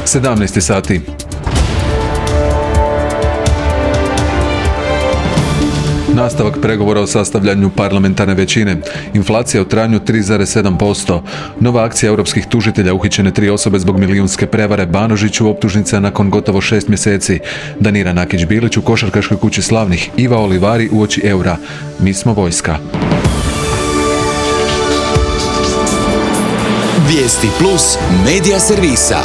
17 sati. Nastavak pregovora o sastavljanju parlamentarne većine. Inflacija u trajanju 3,7%. Nova akcija europskih tužitelja, uhićene 3 osobe zbog milijunske prevare. Banožiću optužnica nakon gotovo 6 mjeseci. Danira Nakić-Bilić u košarkaškoj kući slavnih. Iva Olivari uoči eura. Mi smo vojska. Vijesti plus medija servisa.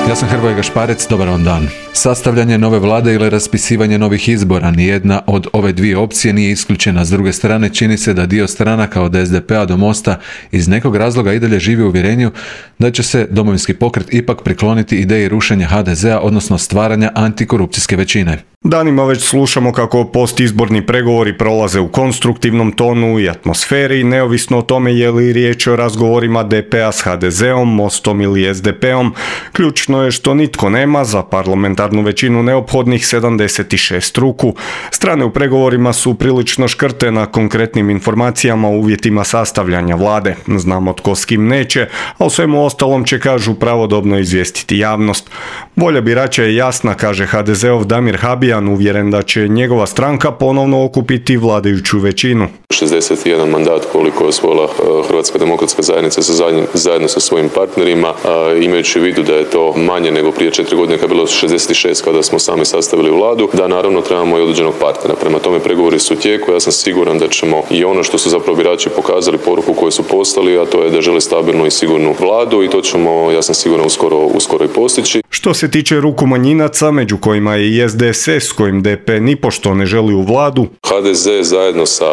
Ja sam Hrvoje Gašparec, dobar vam dan. Sastavljanje nove vlade ili raspisivanje novih izbora, nijedna od ove dvije opcije nije isključena. S druge strane, čini se da dio stranaka od SDP-a do Mosta iz nekog razloga i dalje živi u uvjerenju da će se Domovinski pokret ipak prikloniti ideji rušenja HDZ-a, odnosno stvaranja antikorupcijske većine. Danima već slušamo kako postizborni pregovori prolaze u konstruktivnom tonu i atmosferi, neovisno o tome je li riječ o razgovorima DP-a s HDZ-om, Mostom ili SDP-om. Ključno je što nitko nema za parlamentarnu većinu neophodnih 76 ruku. Strane u pregovorima su prilično škrte na konkretnim informacijama o uvjetima sastavljanja vlade. Znamo tko s kim neće, a o svemu ostalom će, kažu, pravodobno izvijestiti javnost. Volja birača je jasna, kaže HDZ-ov Damir Habijan, uvjeren da će njegova stranka ponovno okupiti vladajuću većinu. 61 mandat koliko je osvojila Hrvatska demokratska zajednica zajedno sa svojim partnerima, imajući u vidu da je to manje nego prije 4 godine kad je bilo 66 kada smo sami sastavili vladu, da naravno trebamo i određenog partnera. Prema tome pregovori su u tijeku, ja sam siguran da ćemo i ono što su zapravo birači pokazali, poruku koju su poslali, a to je da žele stabilnu i sigurnu vladu i to ćemo, ja sam siguran, uskoro i postići. Što se tiče ruku manjinaca, među kojima je i SDSS s kojim DP nipošto ne želi u vladu, HDZ zajedno sa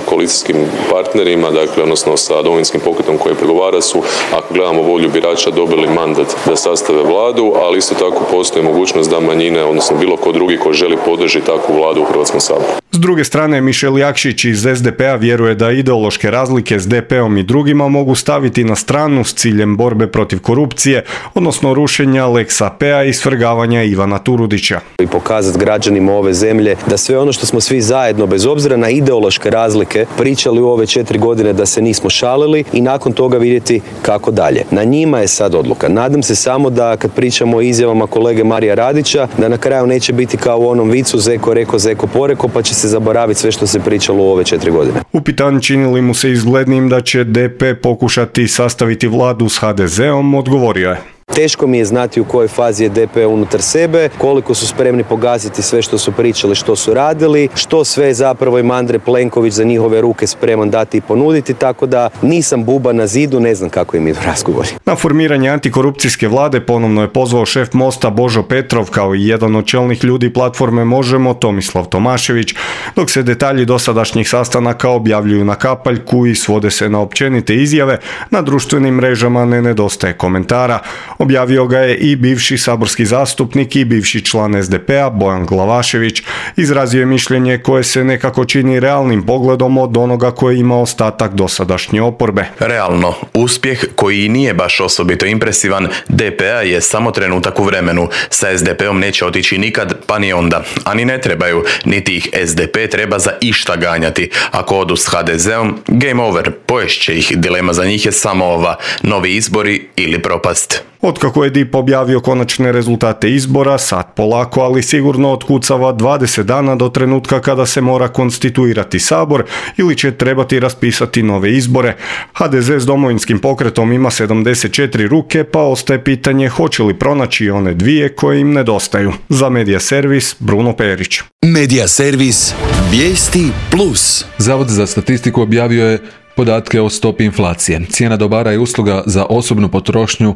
koalicijskim partnerima, dakle, odnosno sa Domovinskim pokretom koji pregovara su, ako gledamo volju birača, dobili mandat da sastave vladu, ali isto tako postoji mogućnost da manjine, odnosno bilo ko drugi ko želi podržati takvu vladu u Hrvatskom saboru. S druge strane, Mišel Jakšić iz SDP-a vjeruje da ideološke razlike s DP-om i drugima mogu staviti na stranu s ciljem borbe protiv korupcije, odnosno rušenja Lex AP-a i svrgavanja Ivana Turudića. I pokazati građanima ove zemlje da sve ono što smo svi zajedno, bez obzira na ideološke razlike, pričali u ove 4 godine, da se nismo šalili i nakon toga vidjeti kako dalje. Na njima je sad odluka. Nadam se samo da kad pričamo o izjavama kolege Marija Radića, da na kraju neće biti kao u onom vicu zeko reko, zeko poreko, pa će se zaboraviti sve što se pričalo u ove 4 godine. Upitan čini li mu se izglednim da će DP pokušati sastaviti vladu s HDZ-om, odgovorio je: Teško mi je znati u kojoj fazi je DP unutar sebe, koliko su spremni pogaziti sve što su pričali, što su radili, što sve zapravo im Andrej Plenković za njihove ruke spreman dati i ponuditi, tako da nisam buba na zidu, ne znam kako im idu razgovori. Na formiranje antikorupcijske vlade ponovno je pozvao šef Mosta Božo Petrov, kao i jedan od čelnih ljudi platforme Možemo, Tomislav Tomašević, dok se detalji dosadašnjih sastanaka objavljuju na kapaljku i svode se na općenite izjave, na društvenim mrežama ne nedostaje komentara. Objavio ga je i bivši saborski zastupnik i bivši član SDP-a Bojan Glavašević. Izrazio je mišljenje koje se nekako čini realnim pogledom od onoga koji ima ostatak dosadašnje oporbe. Realno, uspjeh koji nije baš osobito impresivan DP-a je samo trenutak u vremenu. Sa SDP-om neće otići nikad, pa ni onda. A ni ne trebaju, niti ih SDP treba za išta ganjati. Ako odu s HDZ-om, game over, poješće ih. Dilema za njih je samo ova: novi izbori ili propast. Otkako je DIP objavio konačne rezultate izbora, sad polako, ali sigurno otkucava 20 dana do trenutka kada se mora konstituirati sabor ili će trebati raspisati nove izbore. HDZ s Domovinskim pokretom ima 74 ruke, pa ostaje pitanje hoće li pronaći one dvije koje im nedostaju. Za Medija servis, Bruno Perić. Medija servis, Vijesti plus. Zavod za statistiku objavio je podatke o stopi inflacije. Cijena dobara i usluga za osobnu potrošnju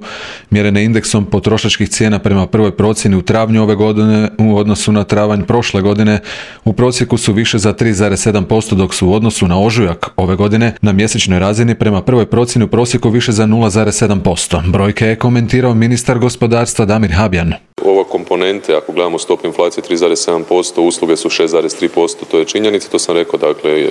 mjerene indeksom potrošačkih cijena prema prvoj procjeni u travnju ove godine u odnosu na travanj prošle godine u prosjeku su više za 3,7%, dok su u odnosu na ožujak ove godine na mjesečnoj razini prema prvoj procjeni u prosjeku više za 0,7%. Brojke je komentirao ministar gospodarstva Damir Habijan. Ova komponente, ako gledamo stopu inflacije 3,7%, usluge su 6,3%, to je činjenica, to sam rekao, dakle,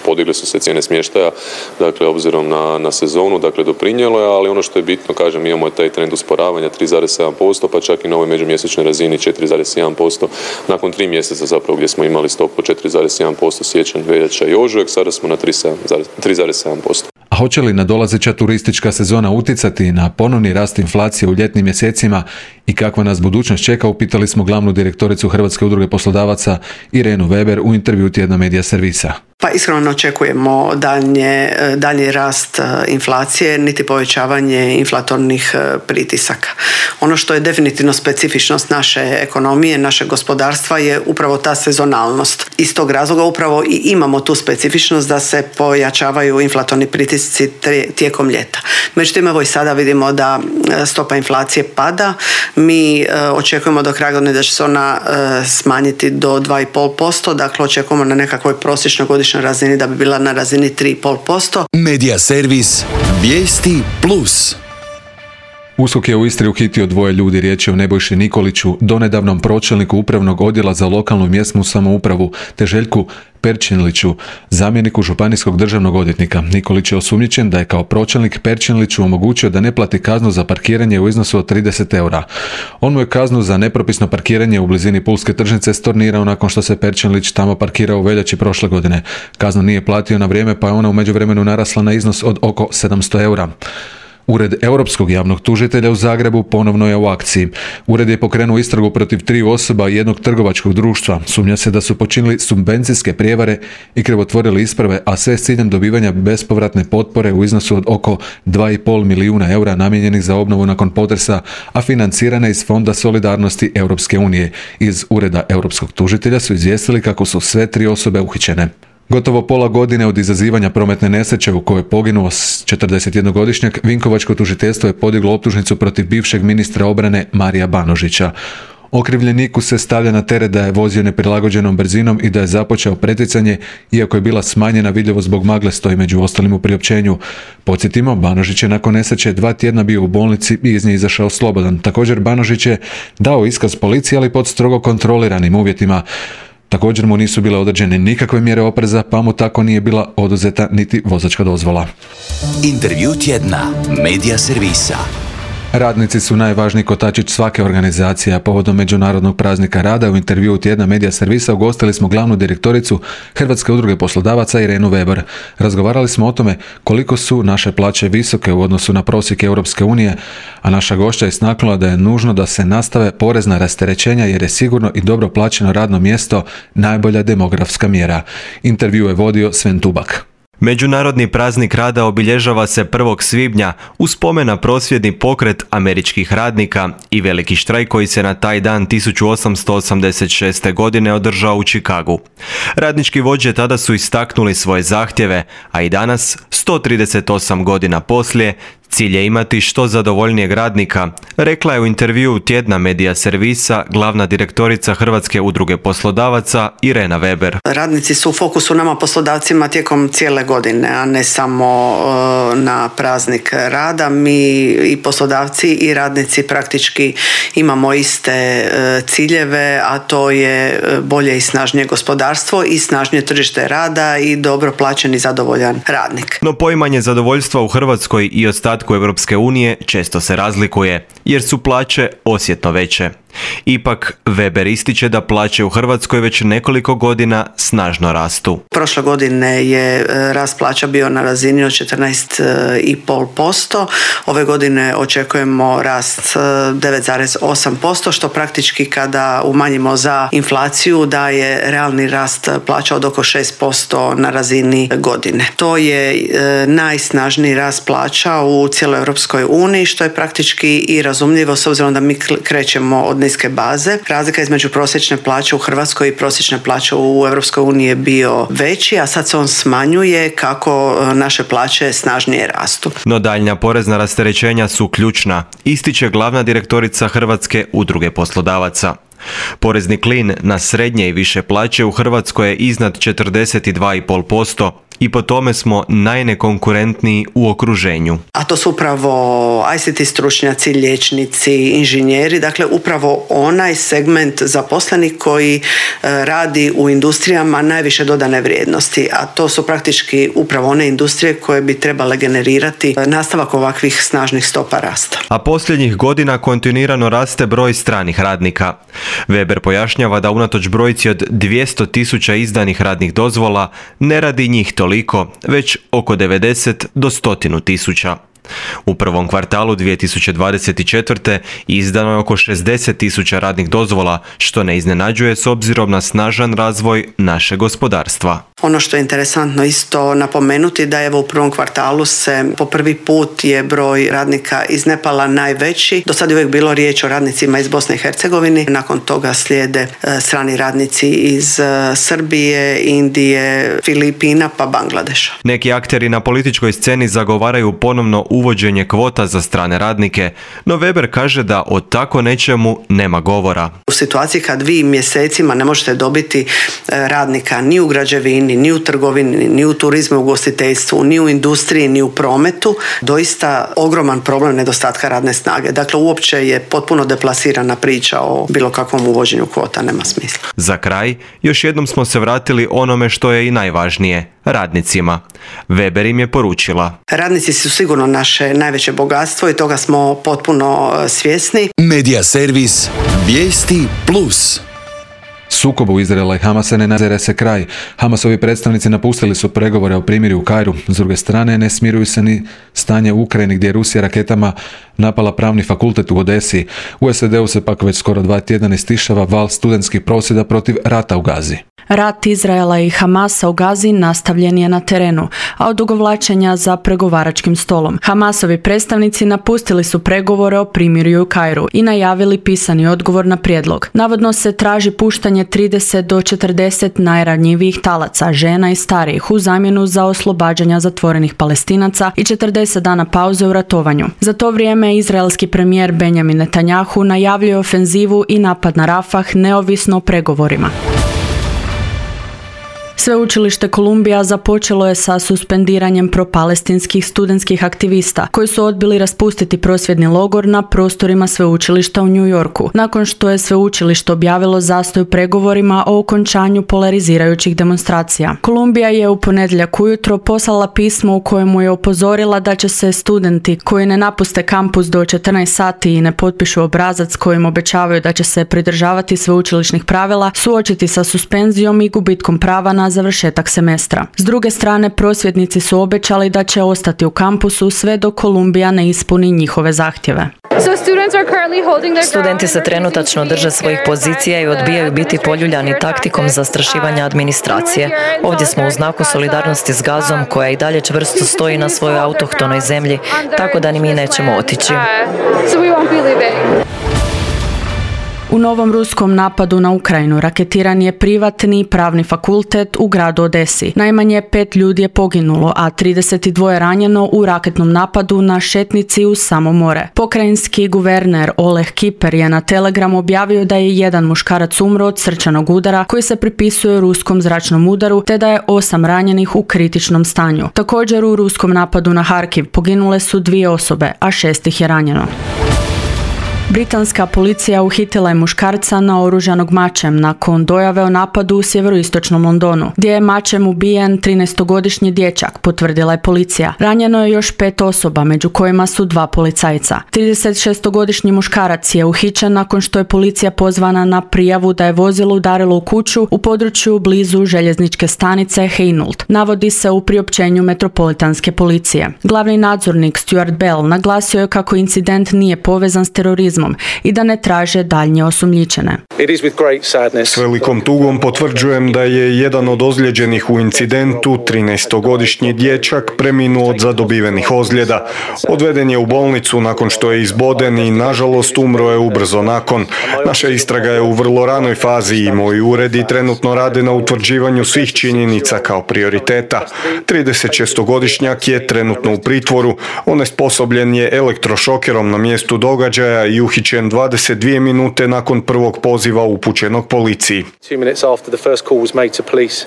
podigli su se cijene smještaja, dakle, obzirom na sezonu, dakle, doprinijelo je, ali ono što je bitno, kažem, imamo taj trend usporavanja 3,7%, pa čak i na ovoj međumjesečnoj razini 4,1%, nakon 3 mjeseca zapravo gdje smo imali stopu 4,1% siječanj, veljača i ožujak, sada smo na 3,7%. A hoće li nadolazeća turistička sezona utjecati na ponovni rast inflacije u ljetnim mjesecima i kakva nas budućnost čeka, upitali smo glavnu direktoricu Hrvatske udruge poslodavaca Irenu Weber u intervju tjedna Medija servisa. Pa iskreno ne očekujemo daljnji rast inflacije niti povećavanje inflatornih pritisaka. Ono što je definitivno specifičnost naše ekonomije, našeg gospodarstva je upravo ta sezonalnost. Iz tog razloga upravo i imamo tu specifičnost da se pojačavaju inflatorni pritisci tijekom ljeta. Međutim, evo i sada vidimo da stopa inflacije pada. Mi očekujemo do kraja godine da će se ona smanjiti do 2,5%, dakle očekujemo na nekakvoj prosječnoj godišnjoj razini da bi bila na razini 3,5%. Medija servis Vijesti Plus. USKOK je u Istri uhitio 2 ljudi, riječ je o Nebojši Nikoliću, donedavnom pročelniku upravnog odjela za lokalnu i mjesnu samoupravu, te Željku Perčinliću, zamjeniku županijskog državnog odvjetnika. Nikolić je osumnjičen da je kao pročelnik Perčinliću omogućio da ne plati kaznu za parkiranje u iznosu od 30 eura. On mu je kaznu za nepropisno parkiranje u blizini Pulske tržnice stornirao nakon što se Perčinlić tamo parkirao u veljači prošle godine. Kaznu nije platio na vrijeme, pa je ona u međuvremenu narasla na iznos od oko 700 eura. Ured Europskog javnog tužitelja u Zagrebu ponovno je u akciji. Ured je pokrenuo istragu protiv 3 osoba i jednog trgovačkog društva. Sumnja se da su počinili subvencijske prijevare i krivotvorili isprave, a sve s ciljem dobivanja bespovratne potpore u iznosu od oko 2,5 milijuna eura namijenjenih za obnovu nakon potresa, a financirane iz Fonda solidarnosti Europske unije. Iz Ureda Europskog tužitelja su izvijestili kako su sve 3 osobe uhićene. Gotovo pola godine od izazivanja prometne nesreće u kojoj je poginuo 41-godišnjak, Vinkovačko tužiteljstvo je podiglo optužnicu protiv bivšeg ministra obrane Marija Banožića. Okrivljeniku se stavlja na teret da je vozio neprilagođenom brzinom i da je započeo preticanje, iako je bila smanjena vidljivost zbog magle, stoji među ostalim u priopćenju. Podsjetimo, Banožić je nakon nesreće 2 tjedna bio u bolnici i iz nje izašao slobodan. Također Banožić je dao iskaz policiji, ali pod strogo kontroliranim uvjetima. Također mu nisu bile određene nikakve mjere opreza, pa mu tako nije bila oduzeta niti vozačka dozvola. Intervju tjedna Medija servisa. Radnici su najvažniji kotačić svake organizacije, a povodom Međunarodnog praznika rada u intervjuu tjedna Medija servisa ugostili smo glavnu direktoricu Hrvatske udruge poslodavaca Irenu Weber. Razgovarali smo o tome koliko su naše plaće visoke u odnosu na prosjek Europske unije, a naša gošća je istaknula da je nužno da se nastave porezna rasterećenja jer je sigurno i dobro plaćeno radno mjesto najbolja demografska mjera. Intervju je vodio Sven Tubak. Međunarodni praznik rada obilježava se 1. svibnja u spomen na prosvjedni pokret američkih radnika i veliki štrajk koji se na taj dan 1886. godine održao u Chicagu. Radnički vođe tada su istaknuli svoje zahtjeve, a i danas, 138 godina poslije, cilj je imati što zadovoljnijeg radnika, rekla je u intervjuu tjedna Medija servisa glavna direktorica Hrvatske udruge poslodavaca Irena Weber. Radnici su u fokusu nama poslodavcima tijekom cijele godine, a ne samo na praznik rada. Mi i poslodavci i radnici praktički imamo iste ciljeve, a to je bolje i snažnije gospodarstvo i snažnije tržište rada i dobro plaćen i zadovoljan radnik. No poimanje zadovoljstva u Hrvatskoj i ostatku Europske unije često se razlikuje, jer su plaće osjetno veće. Ipak, Weber ističe da plaće u Hrvatskoj već nekoliko godina snažno rastu. Prošle godine je rast plaća bio na razini od 14,5%. Ove godine očekujemo rast 9,8%, što praktički kada umanjimo za inflaciju daje realni rast plaća od oko 6% na razini godine. To je najsnažniji rast plaća u cijeloj Europskoj uniji, što je praktički i razumljivo s obzirom da mi krećemo od niske baze. Razlika između prosječne plaće u Hrvatskoj i prosječne plaće u Europskoj uniji je bio veći, a sad se on smanjuje kako naše plaće snažnije rastu. No daljnja porezna rasterećenja su ključna, ističe glavna direktorica Hrvatske udruge poslodavaca. Porezni klin na srednje i više plaće u Hrvatskoj je iznad 42,5%. I po tome smo najnekonkurentniji u okruženju. A to su upravo ICT stručnjaci, liječnici, inženjeri, dakle upravo onaj segment zaposlenih koji radi u industrijama najviše dodane vrijednosti, a to su praktički upravo one industrije koje bi trebale generirati nastavak ovakvih snažnih stopa rasta. A posljednjih godina kontinuirano raste broj stranih radnika. Weber pojašnjava da unatoč brojci od 200.000 izdanih radnih dozvola ne radi njih toliko toliko, već oko 90 do 100 tisuća. U prvom kvartalu 2024. izdano je oko 60 tisuća radnih dozvola, što ne iznenađuje s obzirom na snažan razvoj našeg gospodarstva. Ono što je interesantno isto napomenuti da evo u prvom kvartalu se po prvi put je broj radnika iz Nepala najveći. Do sad je uvijek bilo riječ o radnicima iz Bosne i Hercegovine. Nakon toga slijede strani radnici iz Srbije, Indije, Filipina pa Bangladeša. Neki akteri na političkoj sceni zagovaraju ponovno uvođenje kvota za strane radnike, no Weber kaže da o tako nečemu nema govora. U situaciji kad vi mjesecima ne možete dobiti radnika ni u građevini, ni u trgovini, ni u turizmu, u ugostiteljstvu, ni u industriji, ni u prometu, doista ogroman problem nedostatka radne snage. Dakle, uopće je potpuno deplasirana priča o bilo kakvom uvođenju kvota, nema smisla. Za kraj, još jednom smo se vratili onome što je i najvažnije, radnicima. Weber im je poručila: radnici su sigurno naše najveće bogatstvo i toga smo potpuno svjesni. Medija servis Vijesti Plus. Sukobu Izraela i Hamasa ne nadzire se kraj. Hamasovi predstavnici napustili su pregovore o primirju u Kairu. S druge strane, ne smiruju se ni stanje u Ukrajini gdje je Rusija raketama napala pravni fakultet u Odesi. U SAD-u se pak već skoro 2 tjedna istišava val studentskih prosvjeda protiv rata u Gazi. Rat Izraela i Hamasa u Gazi nastavljen je na terenu, a odugovlačenja za pregovaračkim stolom. Hamasovi predstavnici napustili su pregovore o primirju u Kairu i najavili pisani odgovor na prijedlog. Navodno se traži puštanje 30 do 40 najranjivijih talaca, žena i starijih u zamjenu za oslobađanja zatvorenih Palestinaca i 40 dana pauze u ratovanju. Za to vrijeme izraelski premijer Benjamin Netanjahu najavljuje ofenzivu i napad na Rafah neovisno o pregovorima. Sveučilište Kolumbija započelo je sa suspendiranjem propalestinskih studentskih aktivista koji su odbili raspustiti prosvjedni logor na prostorima sveučilišta u New Yorku, nakon što je sveučilište objavilo zastoj u pregovorima o okončanju polarizirajućih demonstracija. Kolumbija je u ponedjeljak ujutro poslala pismo u kojemu je upozorila da će se studenti koji ne napuste kampus do 14 sati i ne potpišu obrazac kojim obećavaju da će se pridržavati sveučilišnih pravila suočiti sa suspenzijom i gubitkom prava na završetak semestra. S druge strane, prosvjednici su obećali da će ostati u kampusu sve dok Kolumbija ne ispuni njihove zahtjeve. Studenti se trenutačno drže svojih pozicija i odbijaju biti poljuljani taktikom zastrašivanja administracije. Ovdje smo u znaku solidarnosti s Gazom, koja i dalje čvrsto stoji na svojoj autohtonoj zemlji, tako da ni mi nećemo otići. U novom ruskom napadu na Ukrajinu raketiran je privatni pravni fakultet u gradu Odesi. Najmanje 5 ljudi je poginulo, a 32 ranjeno u raketnom napadu na šetnici uz samo more. Pokrajinski guverner Oleg Kiper je na Telegramu objavio da je jedan muškarac umro od srčanog udara koji se pripisuje ruskom zračnom udaru, te da je 8 ranjenih u kritičnom stanju. Također u ruskom napadu na Harkiv poginule su 2 osobe, a 6 ih je ranjeno. Britanska policija uhitila je muškarca naoružanog mačem nakon dojave o napadu u sjeveroistočnom Londonu, gdje je mačem ubijen 13-godišnji dječak, potvrdila je policija. Ranjeno je još 5 osoba, među kojima su 2 policajca. 36-godišnji muškarac je uhićen nakon što je policija pozvana na prijavu da je vozilo udarilo u kuću u području blizu željezničke stanice Hainault. Navodi se u priopćenju metropolitanske policije. Glavni nadzornik Stuart Bell naglasio je kako incident nije povezan s terorizmom i da ne traže daljnje osumnjičene. S velikom tugom potvrđujem da je jedan od ozlijeđenih u incidentu, 13-godišnji dječak, preminuo od zadobivenih ozljeda. Odveden je u bolnicu nakon što je izboden i nažalost umro je ubrzo nakon. Naša istraga je u vrlo ranoj fazi i moji uredi trenutno rade na utvrđivanju svih činjenica kao prioriteta. 36-godišnjak je trenutno u pritvoru. Onesposobljen je elektrošokerom na mjestu događaja i uhićen 22 minute nakon prvog poziva upućenog policiji.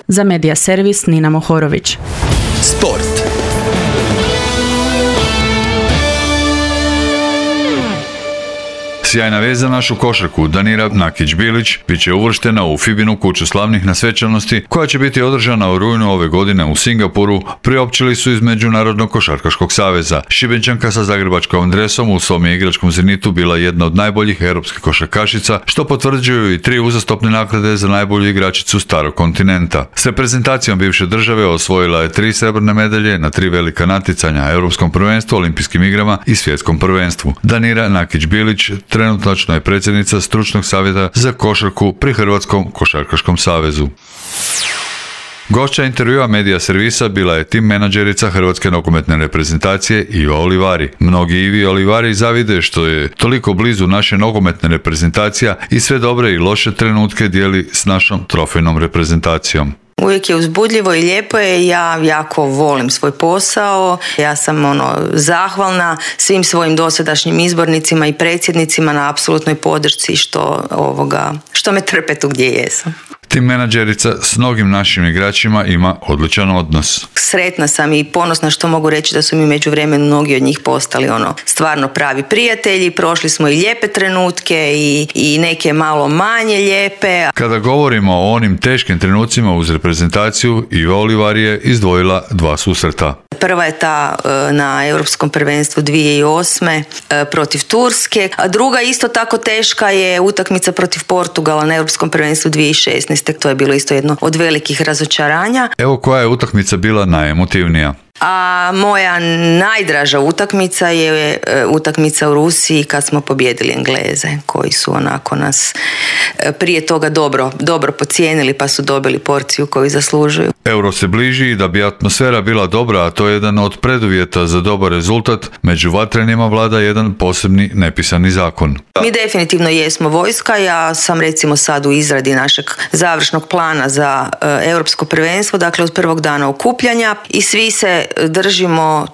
Za Medija servis Nina Mohorović. Sport. Sjajna vez za našu košarku. Danira Nakić-Bilić bit će uvrštena u FIBA-inu kuću slavnih na svečanosti koja će biti održana u rujnu ove godine u Singapuru, priopćili su iz Međunarodnog košarkaškog saveza. Šibenčanka sa zagrebačkom dresom u svom je igračkom zenitu bila jedna od najboljih europskih košarkašica, što potvrđuju i 3 uzastopne nagrade za najbolju igračicu starog kontinenta. S reprezentacijom bivše države osvojila je 3 srebrne medalje na 3 velika natjecanja, Europskom prvenstvu, Olimpijskim igrama i Svjetskom prvenstvu. Danira Nakić-Bilić trenutačno je predsjednica stručnog savjeta za košarku pri Hrvatskom košarkaškom savezu. Gošća intervjua Medija servisa bila je tim menadžerica Hrvatske nogometne reprezentacije Iva Olivari. Mnogi Ivi Olivari zavide što je toliko blizu naše nogometne reprezentacija i sve dobre i loše trenutke dijeli s našom trofejnom reprezentacijom. Uvijek je uzbudljivo i lijepo je, ja jako volim svoj posao, ja sam zahvalna svim svojim dosadašnjim izbornicima i predsjednicima na apsolutnoj podršci što me trpe tu gdje jesam. Tim menadžerica s mnogim našim igračima ima odličan odnos. Sretna sam i ponosna što mogu reći da su mi međuvremenu mnogi od njih postali stvarno pravi prijatelji, prošli smo i lijepe trenutke i neke malo manje lijepe. Kada govorimo o onim teškim trenucima uz reprezentaciju, Iva Olivari je izdvojila 2 susreta. Prva je ta na Europskom prvenstvu 2008. Protiv Turske, a druga isto tako teška je utakmica protiv Portugala na Europskom prvenstvu 2016. To je bilo isto jedno od velikih razočaranja. Evo koja je utakmica bila najemotivnija. A moja najdraža utakmica je utakmica u Rusiji kad smo pobijedili Engleze, koji su nas prije toga dobro pocijenili pa su dobili porciju koju zaslužuju. Euro se bliži i da bi atmosfera bila dobra, a to je jedan od preduvjeta za dobar rezultat, među vatrenima vlada jedan posebni nepisani zakon. Mi definitivno jesmo vojska, ja sam recimo sad u izradi našeg završnog plana za europsko prvenstvo, dakle od prvog dana okupljanja i svi se držimo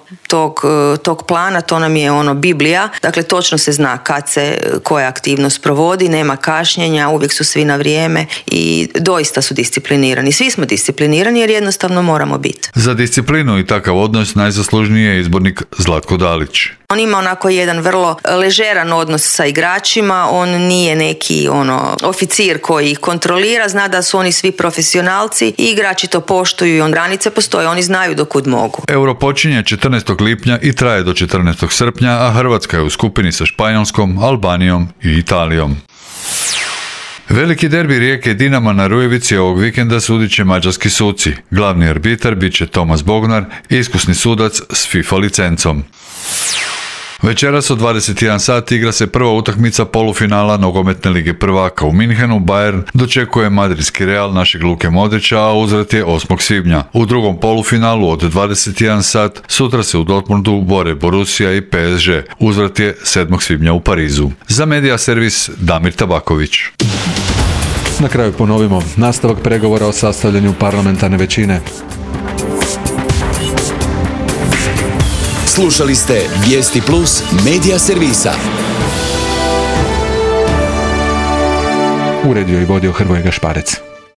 tog plana, to nam je Biblija, dakle točno se zna kad se koja aktivnost provodi, nema kašnjenja, uvijek su svi na vrijeme i doista su disciplinirani. Svi smo disciplinirani jer jednostavno moramo biti. Za disciplinu i takav odnos najzaslužniji je izbornik Zlatko Dalić. On ima jedan vrlo ležeran odnos sa igračima, on nije neki oficir koji ih kontrolira, zna da su oni svi profesionalci i igrači to poštuju i granice postoje, oni znaju do kud mogu. Euro počinje 14. lipnja i traje do 14. srpnja, a Hrvatska je u skupini sa Španjolskom, Albanijom i Italijom. Veliki derbi Rijeke i Dinama na Rujevici ovog vikenda sudit će mađarski suci. Glavni arbitar bit će Tomas Bognar, iskusni sudac s FIFA licencom. Večeras od 21 sat igra se prva utakmica polufinala nogometne lige prvaka u Minhenu. Bayern dočekuje madridski Real našeg Luke Modrića, a uzvrat je 8. svibnja. U drugom polufinalu od 21 sat sutra se u Dortmundu bore Borussia i PSG. Uzvrat je 7. svibnja u Parizu. Za Medija servis Damir Tabaković. Na kraju ponovimo nastavak pregovora o sastavljanju parlamentarne većine. Slušali ste Vijesti Plus Medija servisa. Uredio i vodio Hrvoje Gašparec.